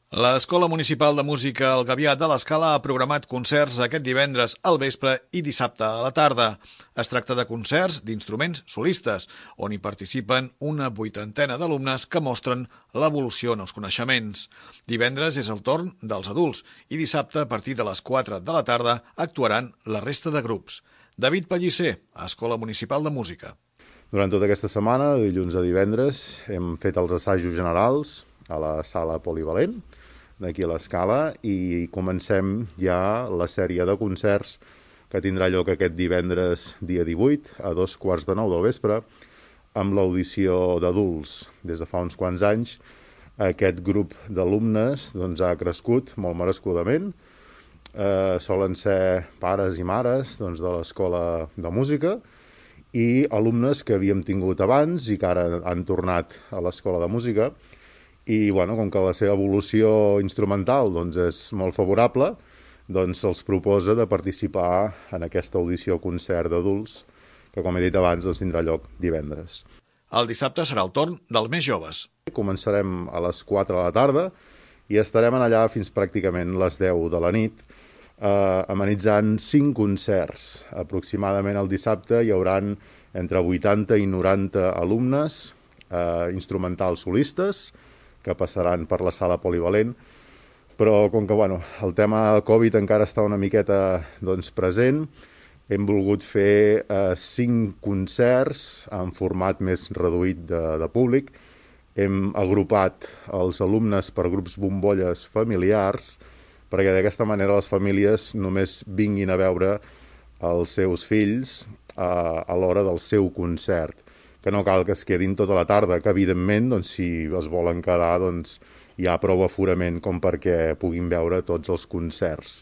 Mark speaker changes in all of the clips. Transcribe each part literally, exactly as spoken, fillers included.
Speaker 1: L'Escola Municipal de Música El Gavià de l'Escala ha programat concerts aquest divendres al vespre i dissabte a la tarda. Es tracta de concerts d'instruments solistes, on hi participen una vuitantena d'alumnes que mostren l'evolució en els coneixements. Divendres és el torn dels adults i dissabte, a partir de les quatre de la tarda, actuaran la resta de grups. David Pellicer, Escola Municipal de Música.
Speaker 2: Durant tota aquesta setmana, de dilluns a divendres, hem fet els assajos generals a la sala polivalent d'aquí a l'Escala i comencem ja la sèrie de concerts que tindrà lloc aquest divendres dia divuit a dos quarts de nou del vespre amb l'audició d'adults. Des de fa uns quants anys aquest grup d'alumnes doncs, ha crescut molt merescudament. Eh, solen ser pares i mares doncs, de l'Escola de Música i alumnes que havíem tingut abans i que ara han tornat a l'Escola de Música. I bueno, com que la seva evolució instrumental doncs, és molt favorable, doncs se'ls proposa de participar en aquesta audició-concert d'adults, que com he dit abans doncs, tindrà lloc divendres.
Speaker 1: El dissabte serà el torn dels més joves.
Speaker 2: Començarem a les quatre de la tarda i estarem allà fins pràcticament les deu de la nit, eh, amenitzant cinc concerts. Aproximadament el dissabte hi haurà entre vuitanta i noranta alumnes, eh, instrumentals solistes, que passaran per la sala polivalent, però com que bueno, el tema Covid encara està una miqueta doncs, present, hem volgut fer eh, cinc concerts en format més reduït de, de públic. Hem agrupat els alumnes per grups bombolles familiars, perquè d'aquesta manera les famílies només vinguin a veure els seus fills eh, a l'hora del seu concert, que no cal que es quedin tota la tarda, que evidentment, doncs, si es volen quedar, doncs, hi ha prou aforament com perquè puguin veure tots els concerts.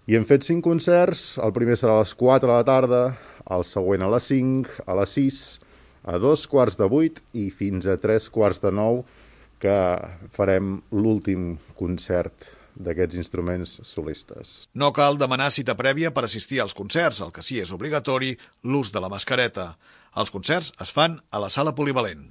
Speaker 2: I hem fet cinc concerts, el primer serà a les quatre de la tarda, el següent a les cinc, a les sis, a dos quarts de vuit i fins a tres quarts de nou, que farem l'últim concert d'aquests instruments solistes.
Speaker 1: No cal demanar cita prèvia per assistir als concerts, el que sí és obligatori l'ús de la mascareta. Els concerts es fan a la sala polivalent.